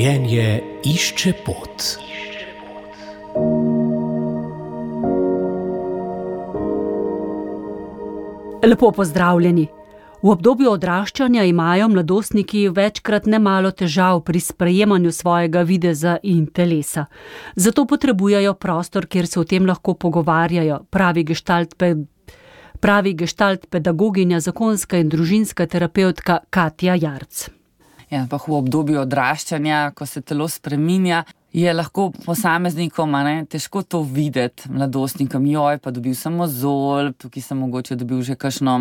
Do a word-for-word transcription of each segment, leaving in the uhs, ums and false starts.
Življenje išče pot. Lepo pozdravljeni. V obdobju odraščanja imajo mladostniki večkrat nemalo težav pri sprejemanju svojega videza in telesa. Zato potrebujejo prostor, kjer se o tem lahko pogovarjajo, pravi gestalt, pe, pravi gestalt pedagoginja, zakonska in družinska terapevtka Katja Jarc. Ja, pa v obdobju odraščanja, ko se telo spreminja, je lahko posameznikom a ne, težko to videti, mladostnikom, joj, pa dobil sem mozolj, tukaj sem mogoče dobil že kakšno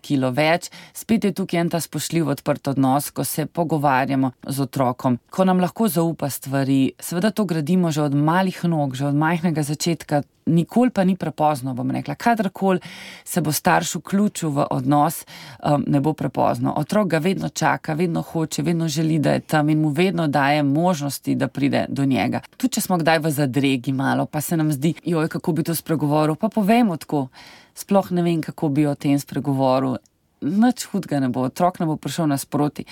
kilo več. Spet je tukaj en ta spoštljiv odprt odnos, ko se pogovarjamo z otrokom, ko nam lahko zaupa stvari. Seveda to gradimo že od malih nog, že od majhnega začetka, nikoli pa ni prepozno, bom rekla. Kadarkoli se bo starš vključil v odnos, um, ne bo prepozno. Otrok ga vedno čaka, vedno hoče, vedno želi, da je tam in mu vedno daje možnosti, da pride do njega. Tudi če smo kdaj v zadregi malo, pa se nam zdi, joj, kako bi to spregovoril, pa povemo tako. Sploh ne vem, kako bi o tem spregovoril. Nič hudega ne bo, otrok ne bo prišel nasproti.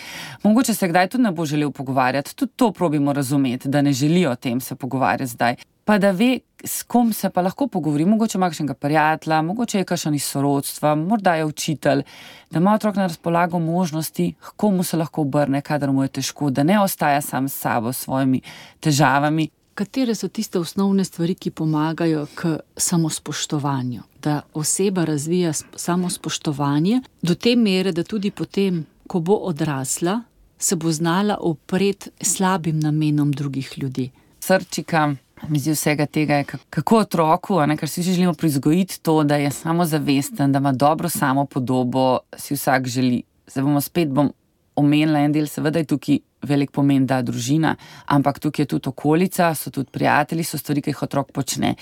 Mogoče se kdaj tudi ne bo želel pogovarjati, tudi to probimo razumeti, da ne želi o tem se pogovarjati zdaj. Pa da ve, s kom se pa lahko pogovori, mogoče ima kakšnega prijatelja, mogoče je kakšen iz sorodstva, morda je učitelj, da ima otrok na razpolago možnosti, h komu se lahko obrne, kadar mu je težko, da ne ostaja sam s sabo, s svojimi težavami. Katere so tiste osnovne stvari, ki pomagajo k samospoštovanju? Da oseba razvija samospoštovanje do te mere, da tudi potem, ko bo odrasla, se bo znala upreti slabim namenom drugih ljudi. Srčika, misli vsega tega je, kako otroku, a ne, kar si želimo prizgojiti to, da je samozavesten, da ima dobro samopodobo, si vsak želi. Zdaj bomo spet bom omenila en del, seveda je tukaj velik pomen, da družina, ampak tukaj je tudi okolica, so tudi prijatelji, so stvari, ki jih otrok počne,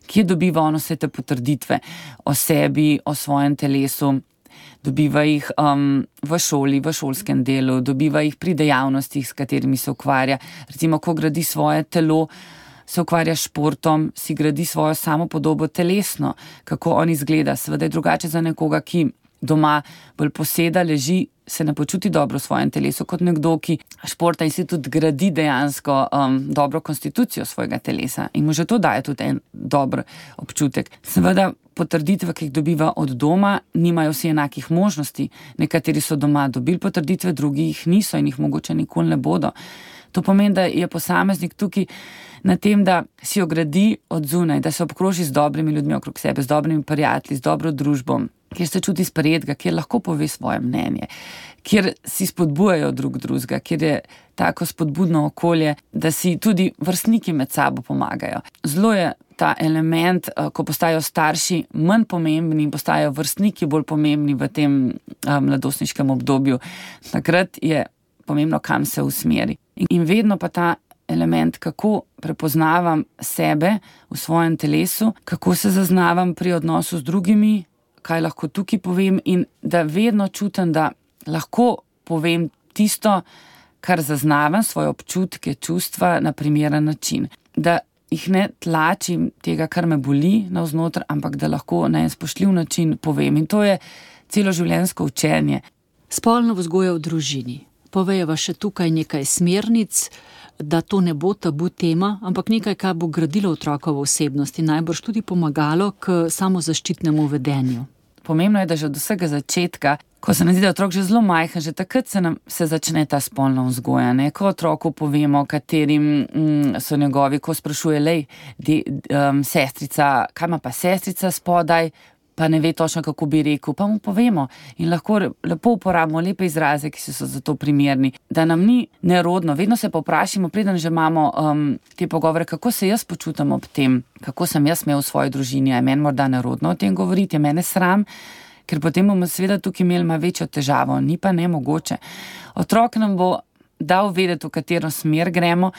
kje dobiva on vse te potrditve o sebi, o svojem telesu, dobiva jih um, v šoli, v šolskem delu, dobiva jih pri dejavnostih, s katerimi se ukvarja. Recimo, ko gradi svoje telo, se ukvarja s športom, si gradi svojo samopodobo telesno, kako on izgleda. Seveda je drugače za nekoga, ki doma bolj poseda, leži, se ne počuti dobro v svojem telesu, kot nekdo, ki športa in si tudi gradi dejansko um, dobro konstitucijo svojega telesa. In mu že to daje tudi en dober občutek. Seveda potrditve, ki jih dobiva od doma, nimajo vsi enakih možnosti. Nekateri so doma dobili potrditve, drugi jih niso in jih mogoče nikoli ne bodo. To pomeni, da je posameznik tukaj na tem, da si jo gradi od zunaj, da se obkroži z dobrimi ljudmi okrog sebe, z dobrimi prijatelji, z dobro družbo, kjer se čuti sprejetega, kjer lahko pove svoje mnenje, kjer si spodbujajo drug drugega, kjer je tako spodbudno okolje, da si tudi vrstniki med sabo pomagajo. Zelo je ta element, ko postajajo starši manj pomembni in postajajo vrstniki bolj pomembni v tem mladostniškem obdobju. Takrat je pomembno, kam se usmeri. In vedno pa ta element, kako prepoznavam sebe v svojem telesu, kako se zaznavam pri odnosu z drugimi, kaj lahko tukaj povem in da vedno čutim, da lahko povem tisto, kar zaznavam, svoje občutke, čustva na primeren način. Da jih ne tlačim tega, kar me boli navznoter, ampak da lahko na en spoštljiv način povem. In to je celoživljenjsko učenje. Spolna vzgoja v družini. Povejeva še tukaj nekaj smernic, da to ne bo tabu tema, ampak nekaj, kar bo gradilo otrokovo osebnost in najbrž tudi pomagalo k samozaščitnemu vedenju. Pomembno je, da že od vsega začetka, ko se nam zdi, da je otrok že zelo majhen, že takrat se nam se začne ta spolna vzgoja, ne? Ko otroku povemo, katerim mm, so njegovi, ko sprašuje, lej, de, um, sestrica, kaj ima pa sestrica spodaj, pa ne ve točno, kako bi rekel, pa mu povemo in lahko lepo uporabimo lepe izraze, ki so za to primerni, da nam ni nerodno, vedno se pa vprašamo, preden že imamo um, te pogovore, kako se jaz počutam ob tem, kako sem jaz imel v svoji družini, je meni morda nerodno o tem govoriti, je mene sram, ker potem bomo seveda tukaj imeli malo večjo težavo, ni pa nemogoče. Otrok nam bo dal vedeti, v katero smer gremo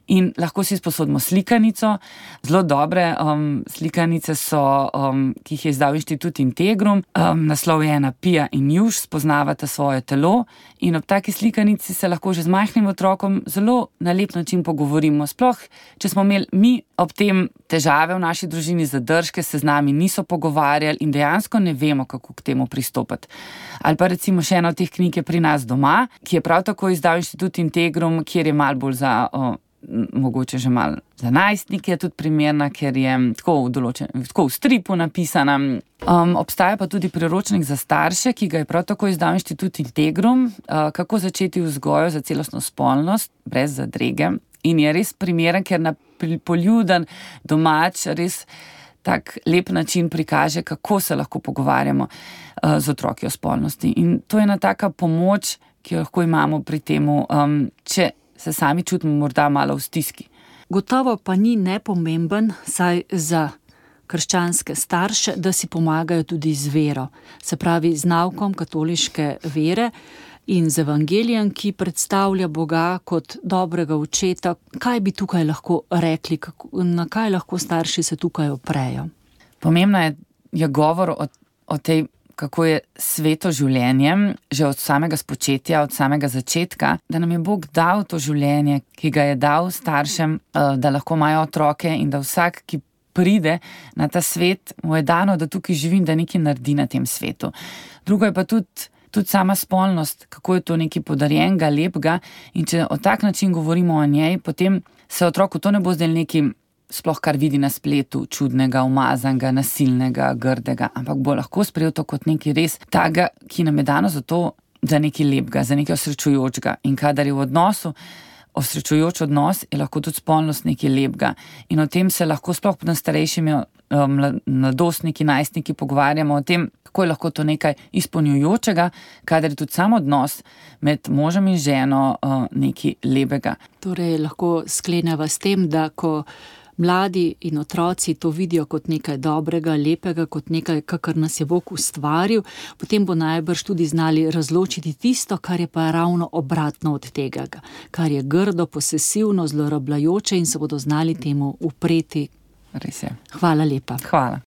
In lahko si sposodimo slikanico, zelo dobre um, slikanice so, um, ki jih je izdal Inštitut Integrum, um, naslov je ena Pija in Juž, spoznavata svoje telo in ob taki slikanici se lahko že z majhnim otrokom zelo na lep način pogovorimo. Sploh, če smo imeli mi ob tem težave v naši družini, zadržke, se z nami niso pogovarjali in dejansko ne vemo, kako k temu pristopiti. Ali pa recimo še ena od teh knjig je Pri nas doma, ki je prav tako izdal Inštitut Integrum, kjer je malo bolj za... O, mogoče že malo za najstnike je tudi primerna, ker je tako v, določen, tako v stripu napisana. Um, obstaja pa tudi priročnik za starše, ki ga je prav tako izdal Inštitut Integrum, uh, kako začeti vzgojo za celostno spolnost, brez zadrege. In je res primeren, ker na poljuden, domač, res tak lep način prikaže, kako se lahko pogovarjamo uh, z otroki o spolnosti. In to je ena taka pomoč, ki jo lahko imamo pri temu, um, če se sami čutimo morda malo v stiski. Gotovo pa ni nepomemben, saj za krščanske starše, da si pomagajo tudi z vero, se pravi z naukom katoliške vere in z evangelijem, ki predstavlja Boga kot dobrega očeta. Kaj bi tukaj lahko rekli, kako, na kaj lahko starši se tukaj oprejo? Pomembno je, je govor o, o tej, kako je sveto življenje, že od samega spočetja, od samega začetka, da nam je Bog dal to življenje, ki ga je dal staršem, da lahko imajo otroke in da vsak, ki pride na ta svet, mu je dano, da tukaj živi in da nekaj naredi na tem svetu. Drugo je pa tudi, tudi sama spolnost, kako je to nekaj podarjenega, lepega in če o tak način govorimo o njej, potem se otroku to ne bo zdaj nekaj sploh kar vidi na spletu, čudnega, umazanega, nasilnega, grdega, ampak bo lahko sprejel to kot nekaj res taga, ki nam je dano za to, za nekaj lepega, za nekaj osrečujočega. In kadar je v odnosu osrečujoč odnos, je lahko tudi spolnost nekaj lepega. In o tem se lahko sploh pod starejšimi mladostniki, najstniki pogovarjamo o tem, kako je lahko to nekaj izpolnjujočega, kadar je tudi sam odnos med možem in ženo nekaj lepega. Torej lahko skleneva s tem, da ko mladi in otroci to vidijo kot nekaj dobrega, lepega, kot nekaj, kakor nas je Bog ustvaril, potem bo najbrž tudi znali razločiti tisto, kar je pa ravno obratno od tega, kar je grdo, posesivno, zlorabljajoče in se bodo znali temu upreti. Res je. Hvala lepa. Hvala.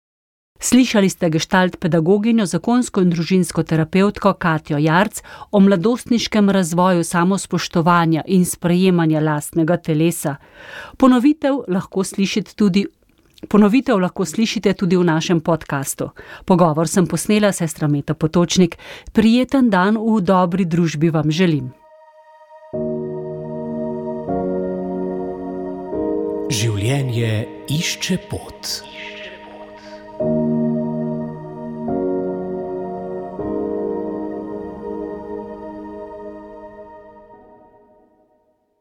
Slišali ste gestalt pedagoginjo, zakonsko in družinsko terapevtko Katjo Jarc o mladostniškem razvoju samospoštovanja in sprejemanja lastnega telesa. Ponovitev lahko slišite tudi, ponovitev lahko slišite tudi v našem podkastu. Pogovor sem posnela sestra Meta Potočnik. Prijeten dan v dobri družbi vam želim. Življenje išče pot.